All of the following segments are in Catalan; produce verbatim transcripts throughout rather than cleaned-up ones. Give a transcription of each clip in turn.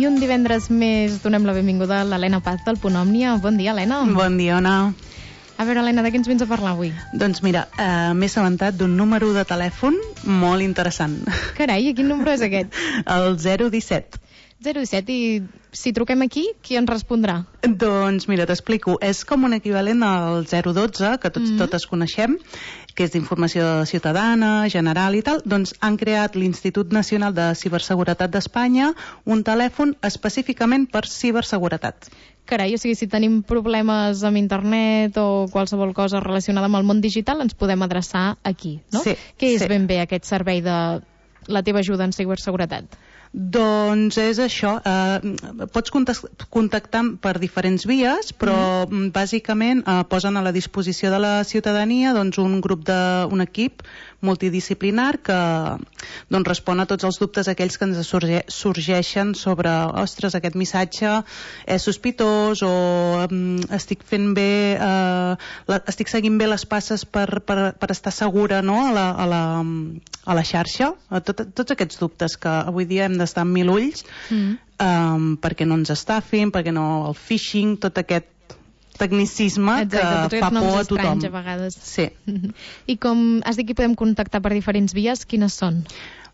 I un divendres més donem la benvinguda a l'Helena Paz del Punt Òmnia. Bon dia, Helena. Bon dia, Ona. A veure, Helena, de què ens vens a parlar avui? Doncs mira, eh, m'he assabentat d'un número de telèfon molt interessant. Carai, i quin número és aquest? El zero disset. zero disset, i si truquem aquí, qui ens respondrà? Doncs mira, t'explico. És com un equivalent al zero dotze, que tots, mm-hmm. totes coneixem, que és d'informació ciutadana, general i tal. Doncs han creat l'Institut Nacional de Ciberseguretat d'Espanya un telèfon específicament per ciberseguretat. Carai, o sigui, si tenim problemes amb internet o qualsevol cosa relacionada amb el món digital, ens podem adreçar aquí, no? Sí. Què és sí. ben bé aquest servei de la teva ajuda en ciberseguretat? Doncs és això, eh, pots contactar per diferents vies, però mm. bàsicament eh, posen a la disposició de la ciutadania doncs, un grup de, un equip multidisciplinar que doncs, respon a tots els dubtes aquells que ens sorge, sorgeixen sobre, ostres, aquest missatge és sospitós o mm, estic fent bé, eh, la, estic seguint bé les passes per, per, per estar segura, no? a, la, a, la, a la xarxa, a tot, tots aquests dubtes que avui dia hem d'estar amb mil ulls mm. um, perquè no ens estafin, perquè no el phishing, tot aquest tecnicisme. Exacte, que fa por a tothom. A vegades. Sí. I com has dit que podem contactar per diferents vies, quines són?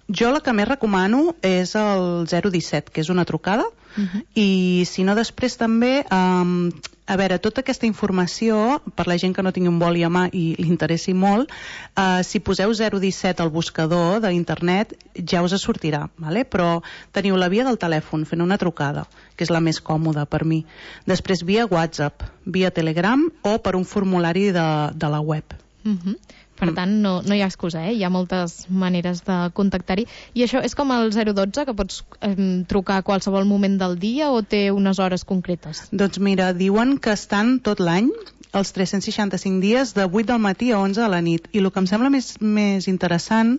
Jo la que més recomano és el zero disset, que és una trucada, uh-huh. i si no després també, um, a veure, tota aquesta informació, per la gent que no tingui un boli a mà i li interessi molt, uh, si poseu zero disset al buscador d'internet ja us sortirà, vale? Però teniu la via del telèfon fent una trucada, que és la més còmoda per mi. Després via WhatsApp, via Telegram o per un formulari de, de la web. Uh-huh. Per tant, no, no hi ha excusa, eh? Hi ha moltes maneres de contactar-hi. I això és com el zero dotze, que pots eh, trucar a qualsevol moment del dia o té unes hores concretes? Doncs mira, diuen que estan tot l'any, els tres-cents seixanta-cinc dies, de vuit del matí a onze de la nit. I el que em sembla més, més interessant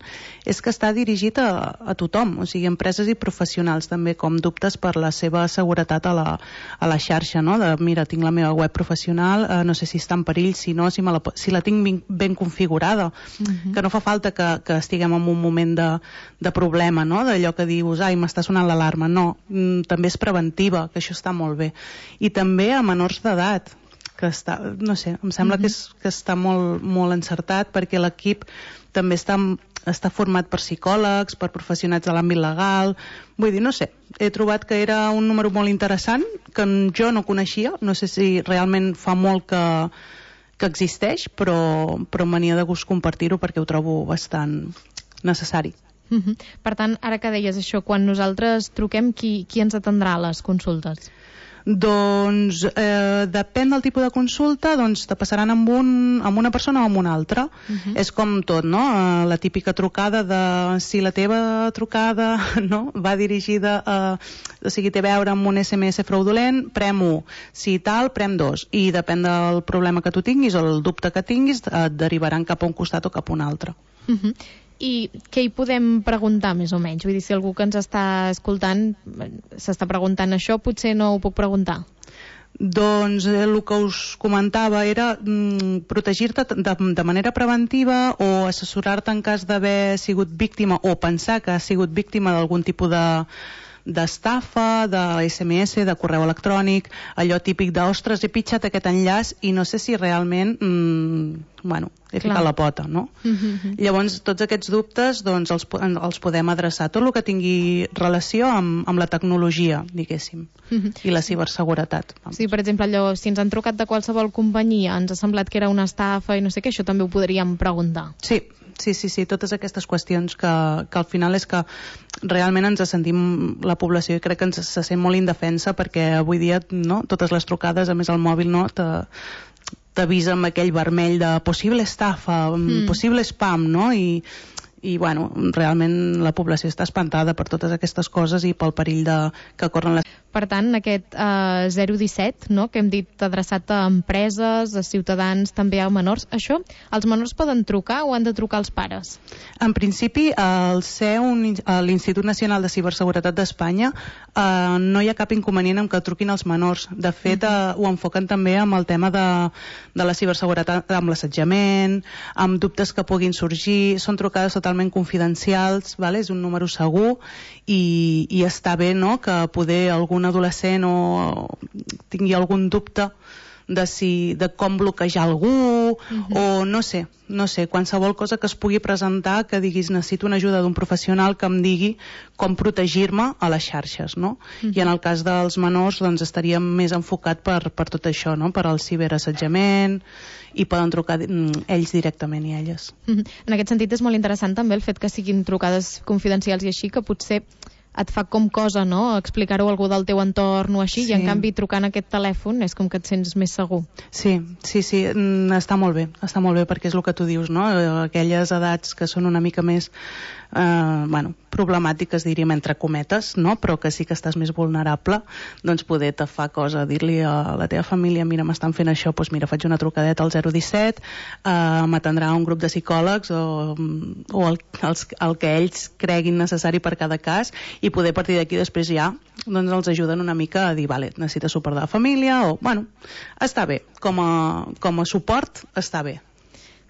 és que està dirigit a, a tothom, o sigui, empreses i professionals també, com dubtes per la seva seguretat a la, a la xarxa, no? De, mira, tinc la meva web professional, eh, no sé si està en perill, si no, si, me la, si la tinc ben, ben configurada, uh-huh. que no fa falta que, que estiguem en un moment de, de problema, no? D'allò que dius, ai, m'està sonant l'alarma. No, mm, també és preventiva, que això està molt bé. I també a menors d'edat, que està, no sé, em sembla mm-hmm. que, és, que està molt, molt encertat, perquè l'equip també està, està format per psicòlegs, per professionals de l'àmbit legal. Vull dir, no sé, he trobat que era un número molt interessant, que jo no coneixia, no sé si realment fa molt que, que existeix, però, però m'ania de gust compartir-ho perquè ho trobo bastant necessari. Mm-hmm. Per tant, ara que deies això, quan nosaltres truquem, qui, qui ens atendrà a les consultes? Doncs eh, depèn del tipus de consulta, doncs te passaran amb, un, amb una persona o amb una altra. Uh-huh. És com tot, no? Eh, la típica trucada de si la teva trucada no? va dirigida a, o sigui, té a veure amb un esse eme esse fraudulent, prem u. Si tal, prem dos. I depèn del problema que tu tinguis o el dubte que tinguis, et derivaran cap a un costat o cap a un altre. Uh-huh. I què hi podem preguntar, més o menys? Vull dir, si algú que ens està escoltant s'està preguntant això, potser no ho puc preguntar. Doncs eh, el que us comentava era mm, protegir-te de, de manera preventiva o assessorar-te en cas d'haver sigut víctima o pensar que has sigut víctima d'algun tipus de d'estafa, de esse eme esse, de correu electrònic, allò típic de, ostres, he pitjat aquest enllaç i no sé si realment mmm, bueno, he ficat la pota, no? Mm-hmm. Llavors, tots aquests dubtes doncs, els, els podem adreçar, tot el que tingui relació amb, amb la tecnologia, diguéssim, mm-hmm. i la ciberseguretat. Vamos. Sí, per exemple, allò, si ens han trucat de qualsevol companyia, ens ha semblat que era una estafa i no sé què, això també ho podríem preguntar. Sí, sí, sí, sí, totes aquestes qüestions que, que al final és que realment ens sentim, la població, i crec que ens se sent molt indefensa perquè avui dia, no, totes les trucades, a més el mòbil, no, te, t'avisa amb aquell vermell de possible estafa, mm. possible spam, no? I, i bueno, realment la població està espantada per totes aquestes coses i pel perill de, que corren les... Per tant, aquest eh, zero disset, no?, que hem dit adreçat a empreses, a ciutadans, també a menors, això, els menors poden trucar o han de trucar els pares? En principi, al C E U, l'Institut Nacional de Ciberseguretat d'Espanya, eh, no hi ha cap inconvenient en que truquin els menors. De fet, eh, ho enfoquen també amb el tema de, de la ciberseguretat, amb l'assetjament, amb dubtes que puguin sorgir, són trucades totalment confidencials, vale? És un número segur i, i està bé, no?, que poder algun adolescent o tingui algun dubte de, si, de com bloquejar algú uh-huh. o no sé, no sé, qualsevol cosa que es pugui presentar que diguis necessito una ajuda d'un professional que em digui com protegir-me a les xarxes, no? Uh-huh. I en el cas dels menors doncs estaríem més enfocat per, per tot això, no? Per al ciberassetjament i poden trucar ells directament i elles. Uh-huh. En aquest sentit és molt interessant també el fet que siguin trucades confidencials i així, que potser et fa com cosa, no?, explicar-ho a algú del teu entorn o així, sí. I en canvi trucant aquest telèfon és com que et sents més segur. Sí, sí, sí, està molt bé, està molt bé perquè és el que tu dius, no?, aquelles edats que són una mica més eh, bueno, problemàtiques, diríem, entre cometes, no?, però que sí que estàs més vulnerable, doncs poder te fa cosa dir-li a la teva família, mira, m'estan fent això, doncs mira, faig una trucadeta al zero disset, eh, m'atendrà un grup de psicòlegs o, o el, els, el que ells creguin necessari per cada cas, i poder a partir d'aquí després ja doncs els ajuden una mica a dir, vale, necessites suport de la família o, bueno, està bé, com a, com a suport està bé.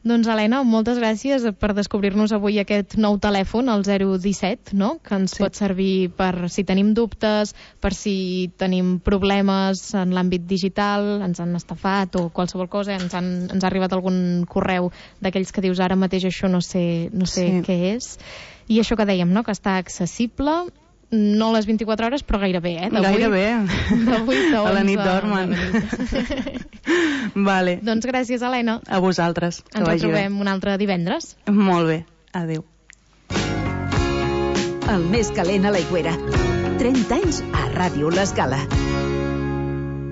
Doncs Helena, moltes gràcies per descobrir-nos avui aquest nou telèfon, el zero disset, no?, que ens sí. pot servir per si tenim dubtes, per si tenim problemes en l'àmbit digital, ens han estafat o qualsevol cosa, ens, han, ens ha arribat algun correu d'aquells que dius ara mateix això no sé, no sé sí. què és. I això que dèiem, no?, que està accessible, no a les vint-i-quatre hores, però gairebé, eh? Gairebé. De vuit a onze. A la nit dormen. Vale. Doncs gràcies, Helena. A vosaltres. Ens retrobem un altre divendres. Molt bé. Adéu. El més calent a l'Aigüera. trenta anys a Ràdio L'Escala.